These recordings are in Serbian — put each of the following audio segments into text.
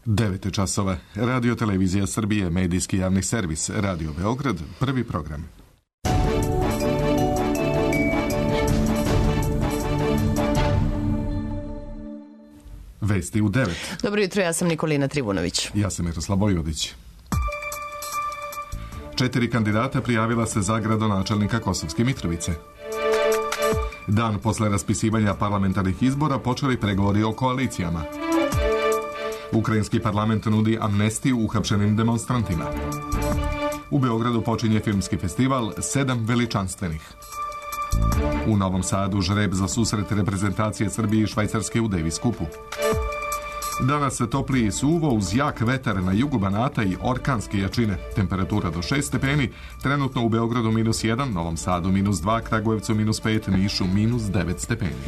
9 časova. Radio Televizija Srbije, medijski javni servis, Radio Beograd, prvi program. Vesti u 9. Dobro jutro, ja sam Nikolina Trivunović. Ja sam Miroslav Vojvodić. 4 kandidata prijavila se za gradonačelnika Kosovske Mitrovice. Dan posle raspisivanja parlamentarnih izbora počeli pregovori o koalicijama. Ukrajinski parlament nudi amnestiju uhapšenim demonstrantima. U Beogradu počinje filmski festival 7 veličanstvenih. U Novom Sadu žreb za susret reprezentacije Srbije i Švajcarske u Davis Cupu. Danas se topliji suvo uz jak vetar na jugu Banata i orkanske jačine. Temperatura do 6 stepeni, trenutno u Beogradu -1, Novom Sadu -2, Kragujevcu -5, Nišu -9 stepeni.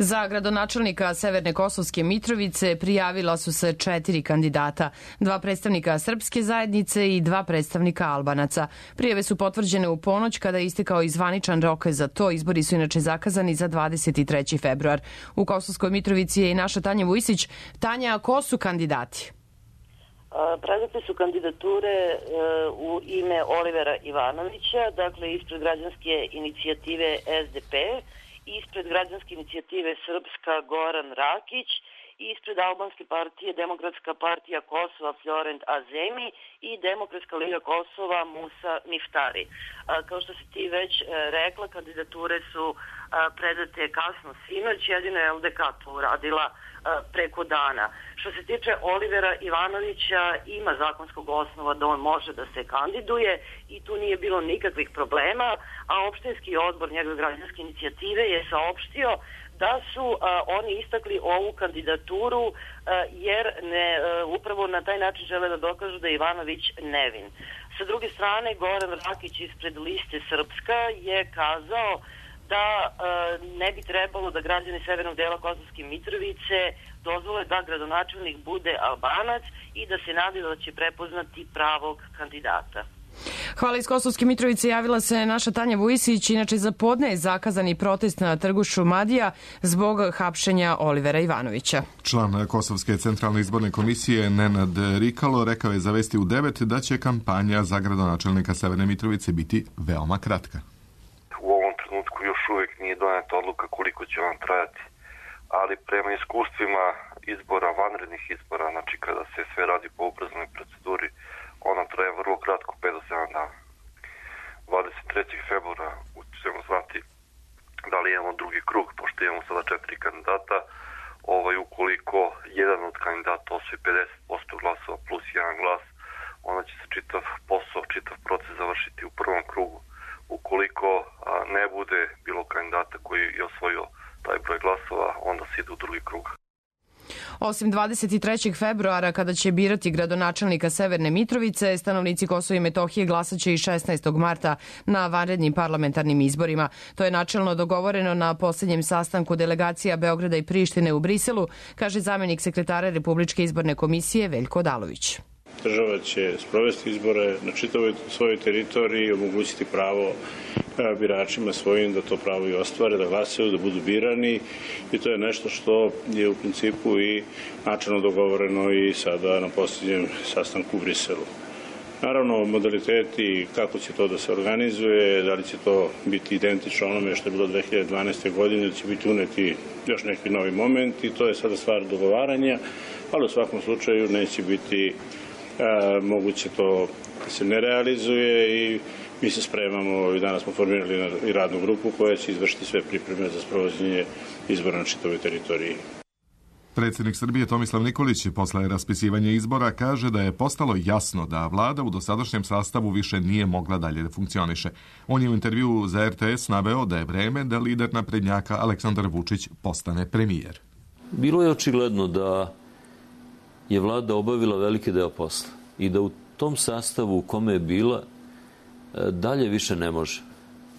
Za gradonačelnika Severne Kosovske Mitrovice prijavila su se 4 kandidata, 2 predstavnika srpske zajednice i 2 predstavnika Albanaca. Prijave su potvrđene u ponoć kada je istekao i zvaničan rok za to. Izbori su inače zakazani za 23. februar. U Kosovskoj Mitrovici je i naša Tanja Vujsić. Tanja, ko su kandidati? Predate su kandidature u ime Olivera Ivanovića, dakle ispred građanske inicijative SDP, ispred građanske inicijative Srpska Goran Rakić, ispred albanske partije Demokratska partija Kosova Florent Azemi i Demokratska liga Kosova Musa Miftari. Kao što si ti već rekla, kandidature su predate kasno sinoć, jedino je LDK to uradila preko dana. Što se tiče Olivera Ivanovića, ima zakonskog osnova da on može da se kandiduje i tu nije bilo nikakvih problema, a opštinski odbor njegove građanske inicijative je saopštio da su oni istakli ovu kandidaturu jer upravo na taj način žele da dokažu da je Ivanović nevin. Sa druge strane, Goran Rakić ispred liste Srpska je kazao da ne bi trebalo da građani severnog dela Kosovske Mitrovice dozvole da gradonačelnik bude Albanac i da se nadaju da će prepoznati pravog kandidata. Hvala. Iz Kosovske Mitrovice javila se naša Tanja Vujsić. Inače, za podne je zakazani protest na trgu Šumadija zbog hapšenja Olivera Ivanovića. Član Kosovske centralne izborne komisije Nenad Rikalo rekao je za Vesti u 9 da će kampanja za gradonačelnika Severne Mitrovice biti veoma kratka. U ovom trenutku još uvijek nije doneta odluka koliko će on trajati, ali prema iskustvima izbora, vanrednih izbora, znači kada se sve radi po ubrzanoj proceduri, ona traje vrlo kratko, 5 do 7 dana. 23. februara ćemo znati da li imamo drugi krug, pošto imamo sada 4 kandidata. Ukoliko jedan od kandidata osvoji 50% glasova plus 1 glas, onda će se čitav posao, čitav proces završiti u prvom krugu. Ukoliko ne bude bilo kandidata koji je osvojio taj broj glasova, onda se ide u drugi krug. Osim 23. februara, kada će birati gradonačelnika Severne Mitrovice, stanovnici Kosova i Metohije glasaće i 16. marta na vanrednim parlamentarnim izborima. To je načelno dogovoreno na poslednjem sastanku delegacija Beograda i Prištine u Briselu, kaže zamenik sekretara Republičke izborne komisije Veljko Odalović. Država će sprovesti izbore na čitavoj svojoj teritoriji i omogućiti pravo biračima svojim da to pravo i ostvare, da glasaju, da budu birani, i to je nešto što je u principu i načelno dogovoreno i sada na posljednjem sastanku u Briselu. Naravno, modaliteti kako će to da se organizuje, da li će to biti identično onome što je bilo 2012. godine, da će biti uneti još neki novi moment, i to je sada stvar dogovaranja, ali u svakom slučaju neće biti moguće to da se ne realizuje i mi se spremamo. I danas smo formirali i radnu grupu koja će izvršiti sve pripreme za sprovođenje izbora na čitavoj teritoriji. Predsjednik Srbije Tomislav Nikolić posle raspisivanja izbora kaže da je postalo jasno da vlada u dosadašnjem sastavu više nije mogla dalje da funkcioniše. On je u intervjuu za RTS naveo da je vreme da lider naprednjaka Aleksandar Vučić postane premijer. Bilo je očigledno da je vlada obavila veliki deo posla i da u tom sastavu u kome je bila dalje više ne može.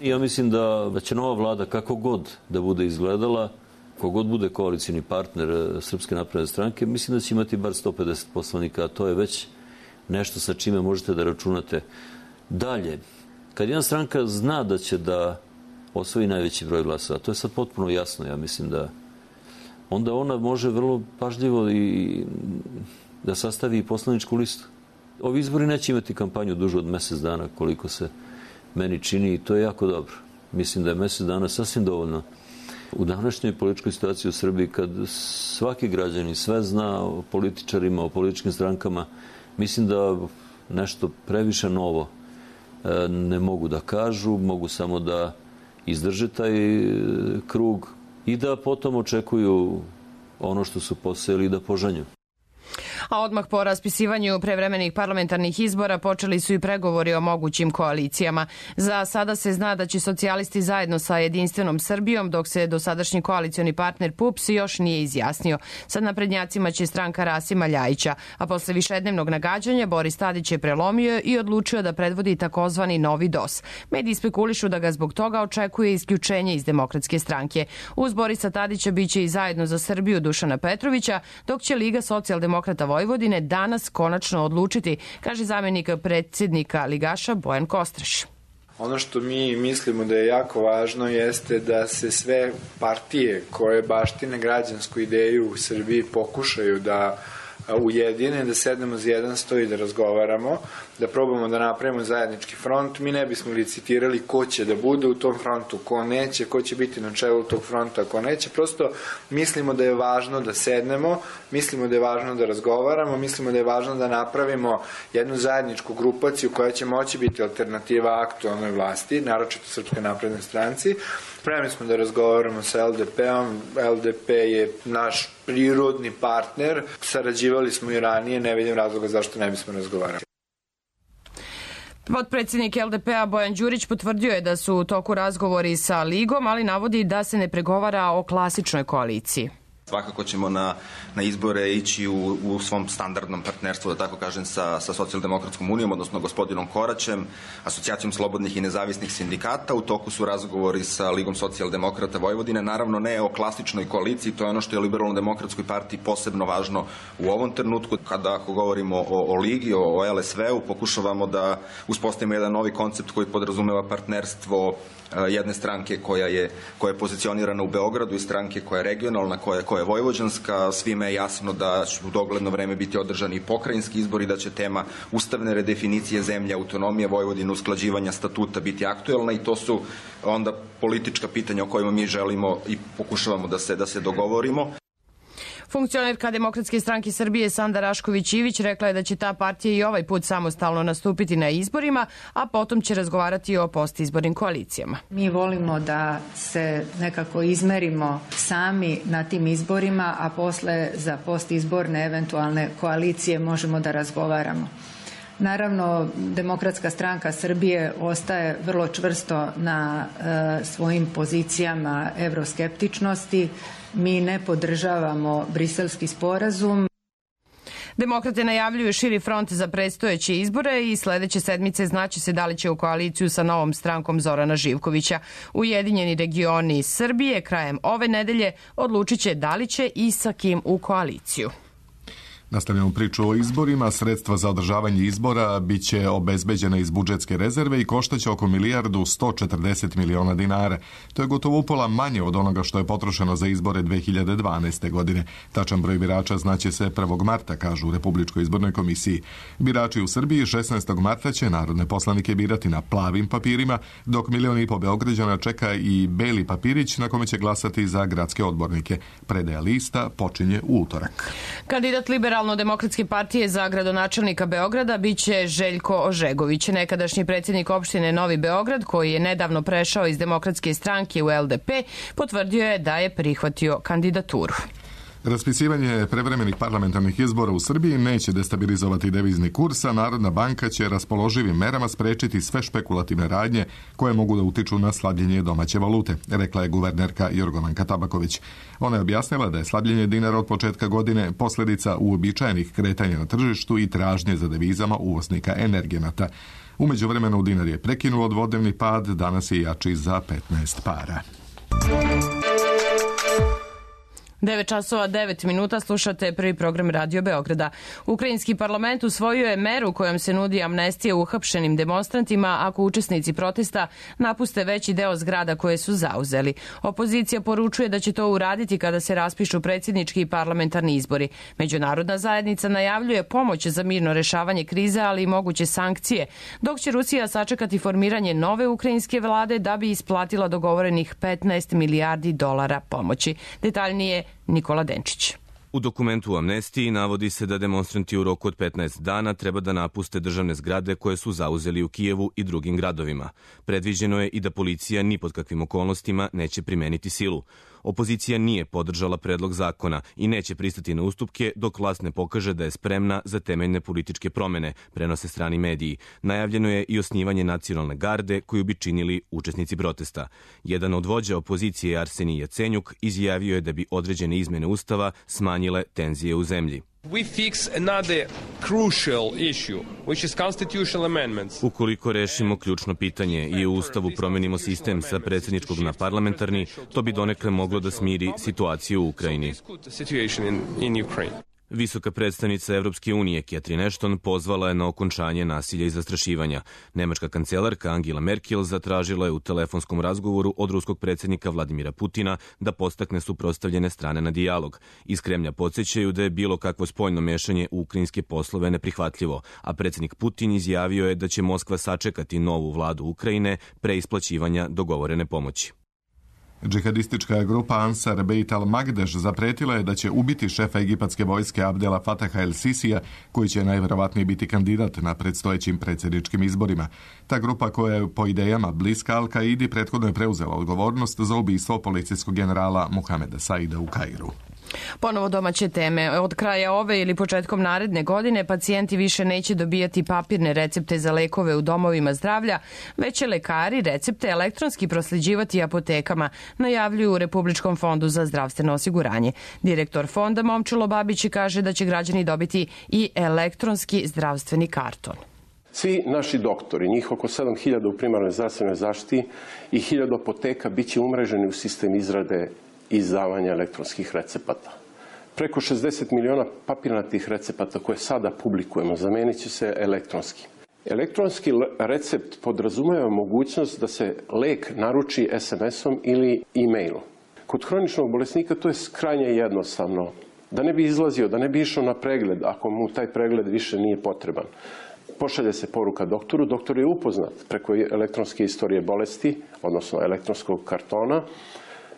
Ja mislim da će nova vlada, kako god da bude izgledala, kogod bude koalicijni partner Srpske napredne stranke, mislim da će imati bar 150 poslanika, a to je već nešto sa čime možete da računate. Dalje, kad jedna stranka zna da će da osvoji najveći broj glasova, to je sad potpuno jasno, ja mislim da onda ona može vrlo pažljivo i da sastavi poslaničku listu. Ovi izbori neće imati kampanju dužu od mjesec dana, koliko se meni čini, i to je jako dobro. Mislim da je mjesec dana sasvim dovoljno. U današnjoj političkoj situaciji u Srbiji, kad svaki građanin sve zna o političarima, o političkim strankama, mislim da nešto previše novo ne mogu da kažu, mogu samo da izdrže taj krug i da potom očekuju ono što su posejali i da požanju. A odmah po raspisivanju prevremenih parlamentarnih izbora počeli su i pregovori o mogućim koalicijama. Za sada se zna da će socijalisti zajedno sa Jedinstvenom Srbijom, dok se dosadašnji koalicioni partner PUPS još nije izjasnio. Sa naprednjacima će stranka Rasima Ljajića, a posle višednevnog nagađanja Boris Tadić je prelomio i odlučio da predvodi takozvani novi DOS. Mediji spekulišu da ga zbog toga očekuje isključenje iz Demokratske stranke. Uz Borisa Tadića biće i Zajedno za Srbiju Dušana Petrovića, dok će Liga socijaldemokrata Vojvodine danas konačno odlučiti, kaže zamenik predsjednika ligaša Bojan Kostreš. Ono što mi mislimo da je jako važno jeste da se sve partije koje baštine građansku ideju u Srbiji pokušaju da ujedine, da sednemo za jedan sto i da razgovaramo, da probamo da napravimo zajednički front. Mi ne bismo licitirali ko će da bude u tom frontu, ko neće, ko će biti na čelu tog fronta, ko neće. Prosto mislimo da je važno da sednemo, mislimo da je važno da razgovaramo, mislimo da je važno da napravimo jednu zajedničku grupaciju koja će moći biti alternativa aktualnoj vlasti, naročito Srpskoj naprednoj stranci. Spremni smo da razgovaramo sa LDP-om. LDP je naš prirodni partner. Sarađivali smo i ranije, ne vidim razloga zašto ne bismo razgovarali. Potpredsjednik LDP-a Bojan Đurić potvrdio je da su u toku razgovori sa Ligom, ali navodi da se ne pregovara o klasičnoj koaliciji. Svakako ćemo na izbore ići u svom standardnom partnerstvu, da tako kažem, sa Socijaldemokratskom unijom, odnosno gospodinom Koraćem, Asocijacijom slobodnih i nezavisnih sindikata. U toku su razgovori sa Ligom socijaldemokrata Vojvodine. Naravno, ne o klasičnoj koaliciji, to je ono što je Liberalno-demokratskoj partiji posebno važno u ovom trenutku. Ako govorimo o Ligi, o LSV-u, pokušavamo da uspostavimo jedan novi koncept koji podrazumeva partnerstvo jedne stranke koja je pozicionirana u Beogradu i stranke koja je regionalna, koja je vojvođanska. Svima je jasno da će u dogledno vreme biti održani i pokrajinski izbori, da će tema ustavne redefinicije zemlje, autonomije Vojvodine, usklađivanja statuta biti aktuelna, i to su onda politička pitanja o kojima mi želimo i pokušavamo da se dogovorimo. Funkcionerka Demokratske stranke Srbije Sanda Rašković-Ivić rekla je da će ta partija i ovaj put samostalno nastupiti na izborima, a potom će razgovarati o postizbornim koalicijama. Mi volimo da se nekako izmerimo sami na tim izborima, a posle za postizborne eventualne koalicije možemo da razgovaramo. Naravno, Demokratska stranka Srbije ostaje vrlo čvrsto na svojim pozicijama evroskeptičnosti. Mi ne podržavamo Briselski sporazum. Demokrate najavljuju širi front za predstojeće izbore i sledeće sedmice znaće se da li će u koaliciju sa novom strankom Zorana Živkovića. Ujedinjeni regioni Srbije krajem ove nedelje odlučit će da li će i sa kim u koaliciju. Nastavljamo priču o izborima. Sredstva za održavanje izbora biće obezbeđena iz budžetske rezerve i koštaće oko 1.140 miliona dinara. To je gotovo upola manje od onoga što je potrošeno za izbore 2012. godine. Tačan broj birača znaće se 1. marta, kažu u Republičkoj izbornoj komisiji. Birači u Srbiji 16. marta će narodne poslanike birati na plavim papirima, dok 1,5 miliona Beograđana čeka i beli papirić na kome će glasati za gradske odbornike. Predaja lista počinje u utorak. Kandidat Liberalno-demokratske partije za gradonačelnika Beograda biće Željko Ožegović, nekadašnji predsjednik opštine Novi Beograd, koji je nedavno prešao iz Demokratske stranke u LDP, potvrdio je da je prihvatio kandidaturu. Raspisivanje prevremenih parlamentarnih izbora u Srbiji neće destabilizovati devizni kurs, a Narodna banka će raspoloživim merama sprečiti sve špekulativne radnje koje mogu da utiču na slabljenje domaće valute, rekla je guvernerka Jorgovanka Tabaković. Ona je objasnila da je slabljenje dinara od početka godine posljedica uobičajenih kretanja na tržištu i tražnje za devizama uvoznika energenata. U međuvremenu dinar je prekinuo dvodnevni pad, danas je jači za 15 para. 9 časova 9 minuta, slušate prvi program Radio Beograda. Ukrajinski parlament usvojio je meru kojom se nudi amnestija uhapšenim demonstrantima ako učesnici protesta napuste veći deo zgrada koje su zauzeli. Opozicija poručuje da će to uraditi kada se raspišu predsjednički i parlamentarni izbori. Međunarodna zajednica najavljuje pomoć za mirno rešavanje krize, ali i moguće sankcije, dok će Rusija sačekati formiranje nove ukrajinske vlade da bi isplatila dogovorenih 15 milijardi dolara pomoći. Detaljnije Nikola Denčić. U dokumentu o amnestiji navodi se da demonstranti u roku od 15 dana treba da napuste državne zgrade koje su zauzeli u Kijevu i drugim gradovima. Predviđeno je i da policija ni pod kakvim okolnostima neće primeniti silu. Opozicija nije podržala predlog zakona i neće pristati na ustupke dok vlast ne pokaže da je spremna za temeljne političke promene, prenose strani mediji. Najavljeno je i osnivanje nacionalne garde koju bi činili učesnici protesta. Jedan od vođa opozicije, Arsenij Jacenjuk, izjavio je da bi određene izmene ustava smanjile tenzije u zemlji. Ukoliko rešimo ključno pitanje i u Ustavu promenimo sistem sa predsjedničkog na parlamentarni, to bi donekle moglo da smiri situaciju u Ukrajini. Visoka predstavnica Evropske unije Catherine Ashton pozvala je na okončanje nasilja i zastrašivanja. Nemačka kancelarka Angela Merkel zatražila je u telefonskom razgovoru od ruskog predsjednika Vladimira Putina da podstakne suprotstavljene strane na dijalog. Iz Kremlja podsjećaju da je bilo kakvo spoljno mešanje u ukrajinske poslove neprihvatljivo, a predsjednik Putin izjavio je da će Moskva sačekati novu vladu Ukrajine pre isplaćivanja dogovorene pomoći. Džihadistička grupa Ansar Beit al-Magdeš zapretila je da će ubiti šefa egipatske vojske Abdela Fataha el-Sisija, koji će najverovatnije biti kandidat na predstojećim predsjedničkim izborima. Ta grupa, koja je po idejama bliska Al-Kaidi, prethodno je preuzela odgovornost za ubistvo policijskog generala Muhameda Saida u Kairu. Ponovo domaće teme. Od kraja ove ili početkom naredne godine pacijenti više neće dobijati papirne recepte za lekove u domovima zdravlja, već će lekari recepte elektronski prosljeđivati apotekama, najavljuju u Republičkom fondu za zdravstveno osiguranje. Direktor fonda Momčilo Babić kaže da će građani dobiti i elektronski zdravstveni karton. Svi naši doktori, njih oko 7000 u primarnoj zdravstvenoj zaštiti i 1000 apoteka bit će umreženi u sistem izrade i izdavanja elektronskih recepata. Preko 60 miliona papirnatih recepata koje sada publikujemo zamenit će se elektronski. Elektronski recept podrazumeva mogućnost da se lek naruči SMS-om ili e-mailom. Kod hroničnog bolesnika to je krajnje jednostavno. Da ne bi izlazio, da ne bi išao na pregled, ako mu taj pregled više nije potreban. Pošalje se poruka doktoru, doktor je upoznat preko elektronske istorije bolesti, odnosno elektronskog kartona,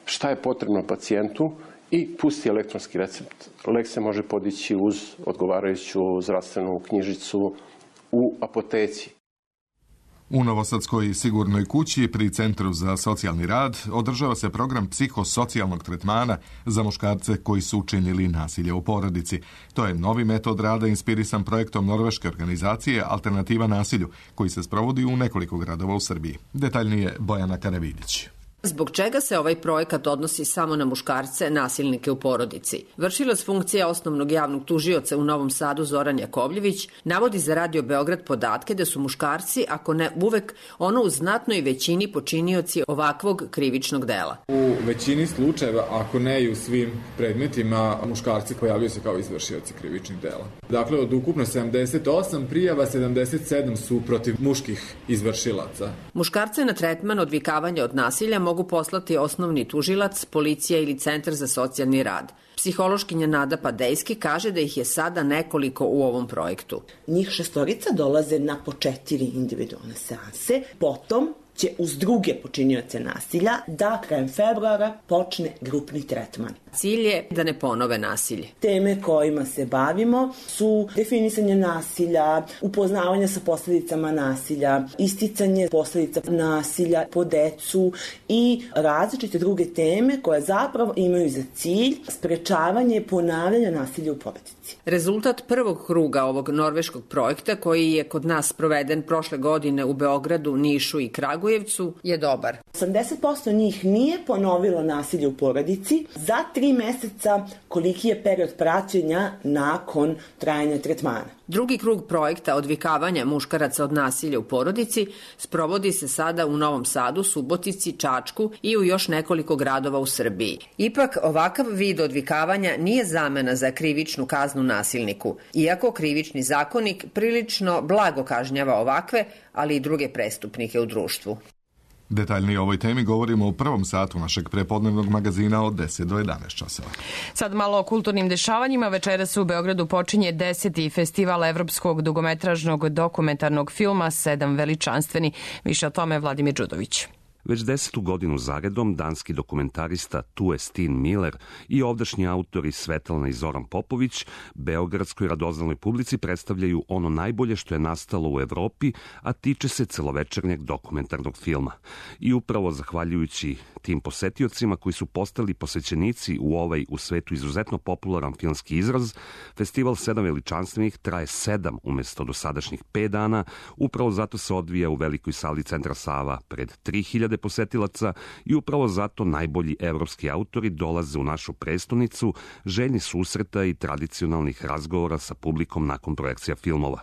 šta je potrebno pacijentu i pusti elektronski recept. Lek se može podići uz odgovarajuću zdravstvenu knjižicu u apoteci. U Novosadskoj sigurnoj kući pri Centru za socijalni rad održava se program psihosocijalnog tretmana za muškarce koji su učinili nasilje u porodici. To je novi metod rada inspirisan projektom norveške organizacije Alternativa nasilju, koji se sprovodi u nekoliko gradova u Srbiji. Detaljnije Bojana Karavidić. Zbog čega se ovaj projekat odnosi samo na muškarce, nasilnike u porodici? Vršilac funkcije osnovnog javnog tužioca u Novom Sadu Zoran Jakovljević navodi za Radio Beograd podatke da su muškarci, ako ne uvek, ono u znatnoj većini počinioci ovakvog krivičnog dela. U većini slučajeva, ako ne i u svim predmetima, muškarci pojavljaju se kao izvršioci krivičnih dela. Dakle, od ukupno 78 prijava, 77 su protiv muških izvršilaca. Muškarce na tretman odvikavanja od nasilja mogu poslati osnovni tužilac, policija ili Centar za socijalni rad. Psihološkinja Nada Padejski kaže da ih je sada nekoliko u ovom projektu. Njih 6 dolaze na po 4 individualne seanse, potom će uz druge počinioce nasilja da krajem februara počne grupni tretman. Cilj je da ne ponove nasilje. Teme kojima se bavimo su definisanje nasilja, upoznavanje sa posljedicama nasilja, isticanje posledica nasilja po decu i različite druge teme koje zapravo imaju za cilj sprečavanje i ponavljanja nasilja u porodici. Rezultat prvog kruga ovog norveškog projekta, koji je kod nas proveden prošle godine u Beogradu, Nišu i Kragujevcu, je dobar. 80% njih nije ponovilo nasilje u porodici, za 3 meseca koliki je period praćenja nakon trajanja tretmana. Drugi krug projekta odvikavanja muškaraca od nasilja u porodici sprovodi se sada u Novom Sadu, Subotici, Čačku i u još nekoliko gradova u Srbiji. Ipak, ovakav vid odvikavanja nije zamena za krivičnu kaznu nasilniku, iako krivični zakonik prilično blago kažnjava ovakve, ali i druge prestupnike u društvu. Detaljnije o ovoj temi govorimo u prvom satu našeg prepodnevnog magazina od 10 do 11 časova. Sad malo o kulturnim dešavanjima. Večeras u Beogradu počinje 10. festival evropskog dugometražnog dokumentarnog filma 7 veličanstveni. Više o tome Vladimir Đudović. Već 10. godinu zaredom danski dokumentarista Tue Steen Miller i ovdašnji autori Svetlana i Zoran Popović beogradskoj radoznalnoj publici predstavljaju ono najbolje što je nastalo u Evropi, a tiče se celovečernjeg dokumentarnog filma. I upravo zahvaljujući tim posetiocima koji su postali posvećenici u ovaj u svetu izuzetno popularan filmski izraz, festival 7 veličanstvenih traje 7 umesto dosadašnjih 5 dana, upravo zato se odvija u velikoj sali Centra Sava pred 3000 posetilaca i upravo zato najbolji evropski autori dolaze u našu prestonicu, željni susreta i tradicionalnih razgovora sa publikom nakon projekcija filmova.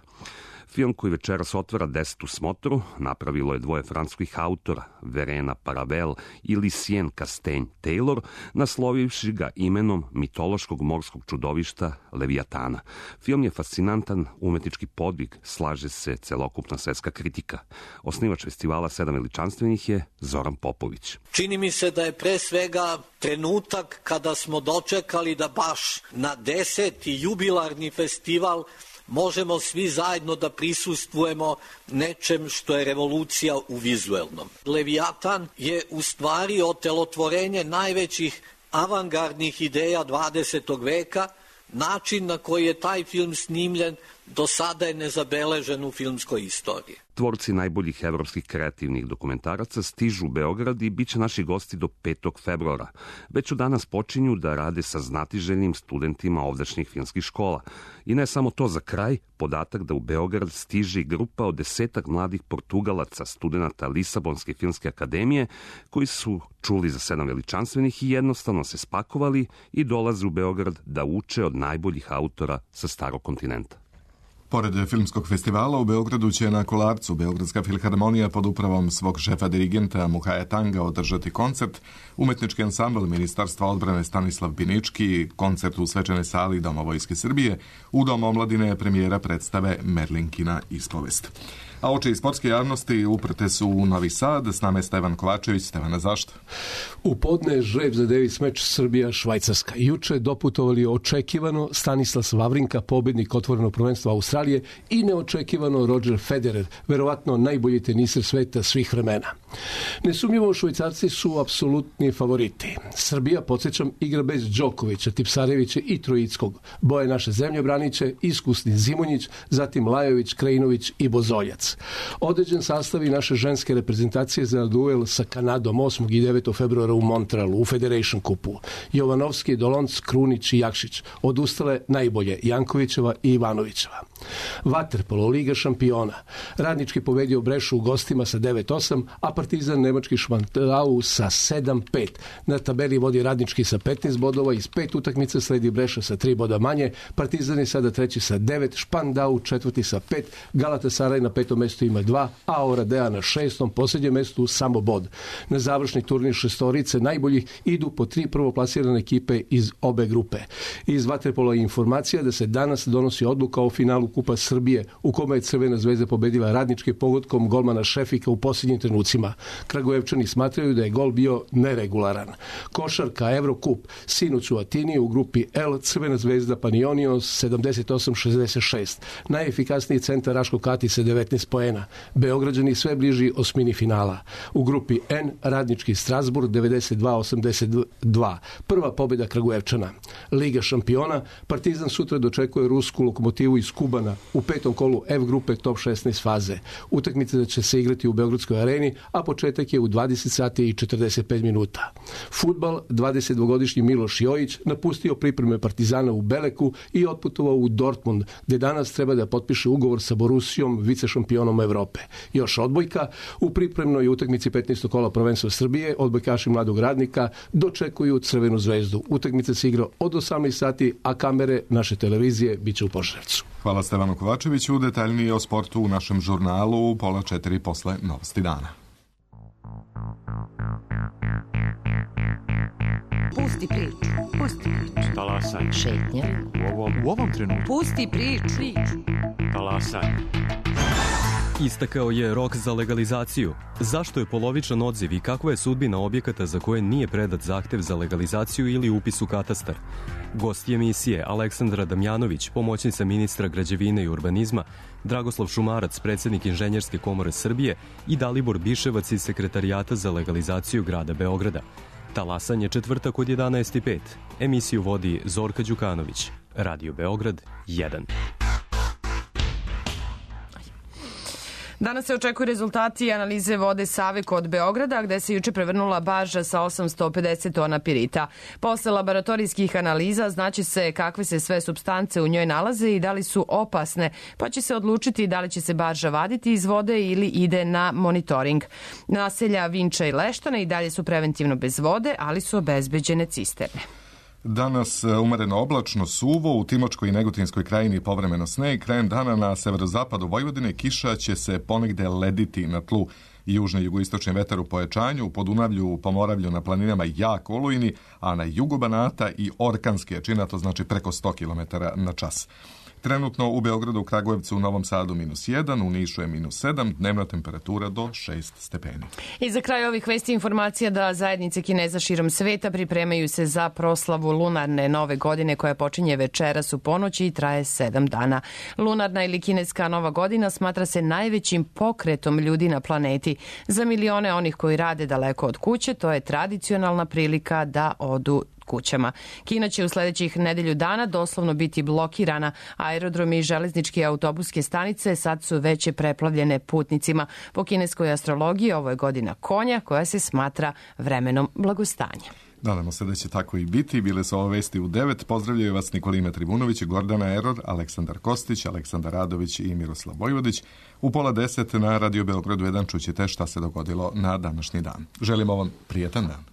Film koji večeras otvara 10. smotru napravilo je dvoje francuskih autora, Verena Paravel i Lucien Castagne-Taylor, naslovivši ga imenom mitološkog morskog čudovišta Leviatana. Film je fascinantan umetnički podvig, slaže se celokupna svetska kritika. Osnivač festivala 7 veličanstvenih je Zoran Popović. Čini mi se da je pre svega trenutak kada smo dočekali da baš na 10. jubilarni festival možemo svi zajedno da prisustvujemo nečem što je revolucija u vizuelnom. Leviatan je u stvari otelotvorenje najvećih avangardnih ideja 20. veka. Način na koji je taj film snimljen do sada je nezabeležen u filmskoj istoriji. Tvorci najboljih evropskih kreativnih dokumentaraca stižu u Beograd i bit će naši gosti do 5. februara. Već od danas počinju da rade sa znatiželjnim studentima ovdašnjih filmskih škola. I ne samo to, za kraj, podatak da u Beograd stiže i grupa od 10 mladih Portugalaca, studenta Lisabonske filmske akademije, koji su čuli za 7 veličanstvenih i jednostavno se spakovali i dolaze u Beograd da uče od najboljih autora sa starog kontinenta. Pored filmskog festivala u Beogradu će na Kolarcu Beogradska filharmonija pod upravom svog šefa dirigenta Muhaja Tanga održati koncert, umetnički ansambl Ministarstva odbrane Stanislav Binički, koncert u svečanoj sali Doma Vojske Srbije, u Domu omladine premijera predstave Merlinkina ispovest. A oči iz sportske javnosti uprte su u Novi Sad. S nama je Stevan Kovačević. Stevana, zašto? U podne je žreb za Davis meč Srbija-Švajcarska. Juče doputovali očekivano Stanislav Wawrinka, pobednik otvorenog prvenstva Australije, i neočekivano Roger Federer, verovatno najbolji teniser sveta svih vremena. Nesumnjivo, Švajcarci su apsolutni favoriti. Srbija, podsjećam, igra bez Đokovića, Tipsarevića i Trojickog. Boje naše zemlje braniće iskusni Zimonjić, zatim Lajović, Krajinović i Bozoljac. Određen sastav i naše ženske reprezentacije za duel sa Kanadom 8. i 9. februara u Montrealu u Federation Cupu. Jovanovski, Dolonc, Krunić i Jakšić. Odustale najbolje Jankovićeva i Ivanovićeva. Vaterpolo, Liga šampiona. Radnički pobedio Brešu u gostima sa 9-8, a Partizan nemački Švantau sa 7-5. Na tabeli vodi Radnički sa 15 bodova, iz 5 utakmica sledi Breša sa 3 boda manje, Partizan je sada treći sa 9, Špandau četvrti sa 5, Galatasaraj na 5. mestu ima 2, a Oradea na 6. posljednjem mestu samo bod. Na završni turnir šestorice najboljih idu po 3 prvoplasirane ekipe iz obe grupe. Iz Vaterpola je informacija da se danas donosi odluka o finalu Kupa Srbije, u kome je Crvena zvezda pobedila Radnički pogodkom golmana Šefika u posljednjim trenucima. Kragujevčani smatraju da je gol bio neregularan. Košarka Evrokup, sinoć u Atini u grupi L, Crvena zvezda Panionios 78-66. Najefikasniji centar Raško Kati sa 19 poena. Beograđani sve bliži osmini finala. U grupi N, Radnički Strasburg 92-82. Prva pobjeda Kragujevčana. Liga šampiona, Partizan sutra dočekuje rusku Lokomotivu iz Kubana u 5. kolu F grupe top 16 faze. Utakmica će se igrati u Beogradskoj areni, a početak je u 20 sati i 45 minuta. Fudbal, 22-godišnji Miloš Jojić napustio pripreme Partizana u Beleku i otputovao u Dortmund, gdje danas treba da potpiše ugovor sa Borussijom, vicešampionom šampionom Evrope. Još odbojka, u pripremnoj utakmici 15. kola prvenstva Srbije odbojkaši Mladog Radnika dočekuju Crvenu zvezdu. Utakmica se igra od 18 sati, a kamere naše televizije biće u Požarevcu. Hvala Stevanu Kovačeviću. Detaljnije o sportu u našem žurnalu u 3:30 posle Novosti dana. Pusti priču. Pusti priču. Talasaj. Šetnja. U ovom trenutku. Pusti priču. Talasaj. Istakao je rok za legalizaciju. Zašto je polovičan odziv i kakva je sudbina objekata za koje nije predat zahtev za legalizaciju ili upis u katastar? Gosti emisije Aleksandra Damjanović, pomoćnica ministra građevine i urbanizma, Dragoslav Šumarac, predsjednik Inženjerske komore Srbije i Dalibor Biševac iz Sekretarijata za legalizaciju grada Beograda. Talasanje četvrtak od 11:05. Emisiju vodi Zorka Đukanović. Radio Beograd 1. Danas se očekuju rezultati analize vode Save kod Beograda, gde se juče prevrnula barža sa 850 tona pirita. Posle laboratorijskih analiza znaće se kakve se sve supstance u njoj nalaze i da li su opasne, pa će se odlučiti da li će se barža vaditi iz vode ili ide na monitoring. Naselja Vinča i Leštana i dalje su preventivno bez vode, ali su obezbeđene cisterne. Danas umereno oblačno, suvo, u Timočkoj i Negotinskoj krajini povremeno sneg, krajem dana na severozapadu Vojvodine kiša će se ponegde lediti na tlu. Južni i jugoistočni vetar u pojačanju, u Podunavlju, u Pomoravlju, na planinama jak olujni, a na jugu Banata i orkanski jačina, to znači preko 100 km na čas. Trenutno u Beogradu, Kragujevcu, u Novom Sadu -1, u Nišu je -7, dnevna temperatura do 6 stepeni. I za kraj ovih vesti informacija da zajednice Kineza širom sveta pripremaju se za proslavu lunarne nove godine koja počinje večeras u ponoći i traje 7 dana. Lunarna ili kineska nova godina smatra se najvećim pokretom ljudi na planeti. Za milione onih koji rade daleko od kuće, to je tradicionalna prilika da odu kućama. Kina će u sledećih nedelju dana doslovno biti blokirana. Aerodromi i železničke autobuske stanice sad su veće preplavljene putnicima. Po kineskoj astrologiji ovo je godina konja koja se smatra vremenom blagostanja. Nadamo se da će tako i biti. Bile su ove vesti u 9. Pozdravljaju vas Nikolina Trivunović, Gordana Eror, Aleksandar Kostić, Aleksandar Radović i Miroslav Vojvodić. U 9:30 na Radio Beogradu 1 čućete šta se dogodilo na današnji dan. Želimo vam prijetan dan.